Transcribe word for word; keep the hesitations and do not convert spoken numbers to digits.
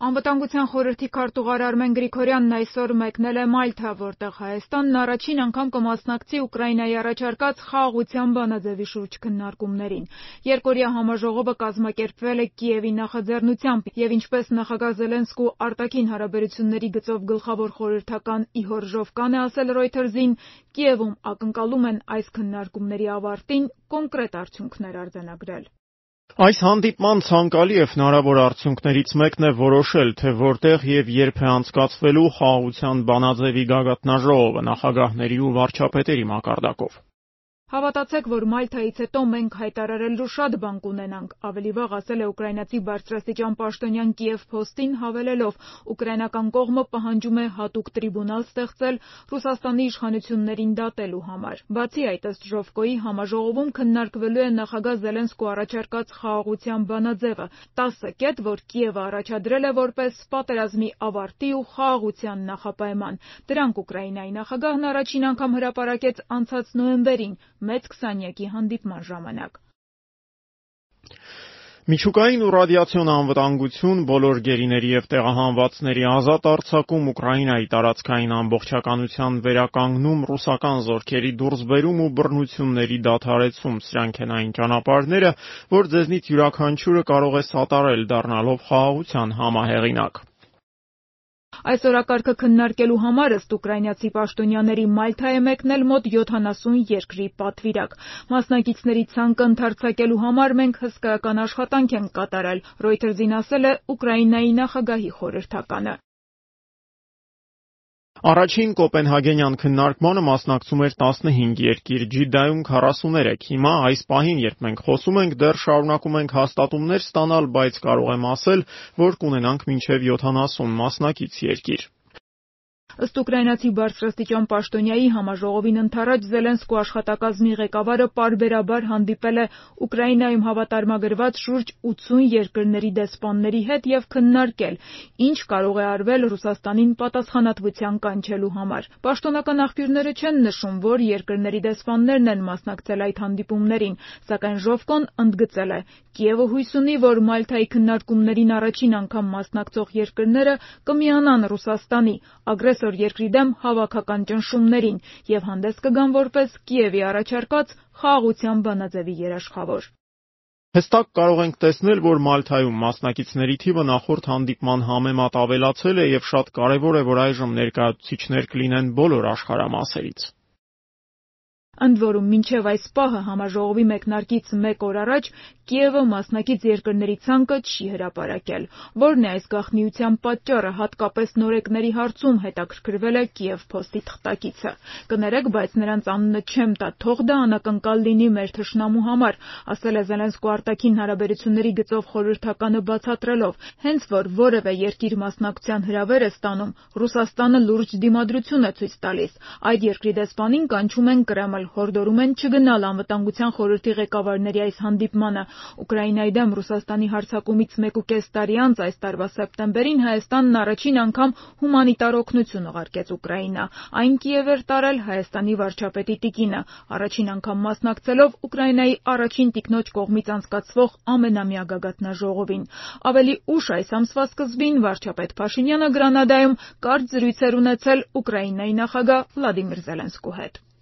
Անվտանգության խորհրդի քարտուղար Արմեն Գրիգորյանն այսօր մեկնել է Մալթա, որտեղ Հայաստանն առաջին անգամ կմասնակցի Ուկրաինայի առաջարկած խաղաղության բանաձևի շուրջ քննարկումներին։ Երկօրյա համաժողովը կազմակերպվել է Կիևի նախաձեռնությամբ և ինչպես նախագահ Զելենսկու արտաքին հարաբերությունների գծով գլխավոր խորհրդական Իհոր Ժովկան է ասել Ռոյթերզին, Կիևում ակնկալում են այս քննարկումների ավարտին կոնկրետ արդյունքներ արձանագրել։ Այս հանդիպման ցանկալի և հնարավոր արդյունքներից մեկն է որոշել, թե որտեղ և երբ է անցկացվելու խաղաղության բանաձևի գագաթնաժողովը նախագահների ու վարչապետերի մակարդակով։ Հավատացեք, որ Մալթայից հետո մենք հայտարարելու շատ բան կունենանք, ավելի վաղ ասել է ուկրաինացի բարձրաստիճան պաշտոնյան Կիև Փոստին, հավելելով, ուկրաինական կողմը պահանջում է հատուկ տրիբունալ ստեղծել Ռուսաստանի իշխանություններին դատելու համար։ Բացի այդ, ըստ Ժովկոյի, համաժողովում քննարկվելու է նախագահ Զելենսկու առաջարկած խաղաղության բանաձևը, տասը կետ, որ Կիևը առաջադրել է որպես պատերազմի ավարտի ու խաղաղության նախապայման։ Դրանք Ուկրաինայի նախագահն առաջին անգամ հրապարակեց անցած նոյեմբերին մեծ քսանյակի հանդիպման ժամանակ։ Միջուկային ու ռադիացիոն անվտանգություն, բոլոր գերիների և տեղահանվածների ազատ արձակում, Ուկրաինայի տարածքային ամբողջականության վերականգնում, ռուսական զորքերի դուրսբերում ու բռնությունների դադարեցում, սրանք են այն ճանապարհները, որ ձեզնից յուրաքանչյուրը կարող է սատարել, դառնալով խաղաղության համահեղինակ։ Այս օրակարգը քննարկելու համար ըստ ուկրաինացի պաշտոնյաների Մալթա է մեկնել մոտ յոթանասուն երկրի պատվիրակ։ Մասնակիցների ցանկը ընդարձակելու համար մենք հսկայական աշխատանք ենք կատարել, Ռոյթերզին ասել է Ուկրաինայի նախագահի խորհրդականը։ Առաջին կոպենհագենյան քննարկմանը մասնակցում էր տասնհինգ երկիր, Ջիդայում քառասուներեք։ Հիմա այս պահին, երբ մենք խոսում ենք, դեռ շարունակում ենք հաստատումներ ստանալ, բայց կարող եմ ասել, որ կունենանք մինչև յոթանասուն մասնակից երկիր։ Ըստ ուկրաինացի բարձրաստիճան պաշտոնյայի, համաժողովին ընդառաջ Զելենսկու աշխատակազմի ղեկավարը պարբերաբար հանդիպել է Ուկրաինայում հավատարմագրված շուրջ ութսուն երկրների դեսպանների հետ և քննարկել, ինչ կարող է արվել Ռուսաստանին պատասխանատվության կանչելու համար։ Պաշտոնական աղբյուրները չեն նշում, որ երկրների դեսպաններն են մասնակցել այդ հանդիպումներին, սակայն Ժովկոն ընդգծել է. Կիևը հույս ունի, որ Մալթայի քննարկումներին առաջին անգամ մասնակցող երկրները կմիանան Ռուսաստանի ագրեսոր երկրի դեմ հավաքական ճնշումներին և հանդես կգան որպես Կիևի առաջարկած խաղաղության բանաձևի երաշխավոր։ Հստակ կարող ենք տեսնել, որ Մալթայում մասնակիցների թիվը նախորդ հանդիպման համեմատ ավելացել է և շատ կարևոր է, որ այժմ ներկայացուցիչներ կլինեն բոլոր աշխարհամասերից։ Ընդ որում, մինչև այս պահը համաժողովի մեկնարկից մեկ օր առաջ Կիևը մասնակից երկրների ցանկը չի հրապարակել։ Որն է այս գաղտնիության պատճառը, հատկապես նորեկների հարցում հետաքրքրվել է Կիև Փոստի թղթակիցը։ Կներեք, բայց նրանց անունը չեմ տա, թող դա անակնկալ լինի մեր թշնամու համար, ասել է Զելենսկու արտաքին հարաբերությունների գծով խորհրդականը բացատրելով, հենց որ որևէ երկիր մասնակցության հրավեր է ստանում, Ռուսաստանը լուրջ դիմադրություն է ցույց տալիս։ Այդ երկրի դեսպանին կանչում են Կրեմլ, հորդորում են չգնալ անվտանգության խորհրդի ղեկավարների այս հանդիպմանը։ Ուկրաինայի դեմ Ռուսաստանի հարձակումից մեկուկես տարի անց այս տարվա սեպտեմբերին Հայաստանն առաջին անգամ հումանիտար օգնություն ուղարկեց Ուկրաինա։ Այն Կիև էր տարել Հայաստանի վարչապետի տիկինը, առաջին անգամ մասնակցելով Ուկրաինայի առաջին տիկնոջ կողմից անցկացվող ամենամյա գագաթնաժողովին։ Ավելի ուշ այս ամսվա սկզբին վարչապետ Փաշինյանը Գրանադայում կարճ զրույց էր ունեցել Ուկրաինայի նախագահ Վլադիմիր Զելենսկու հետ։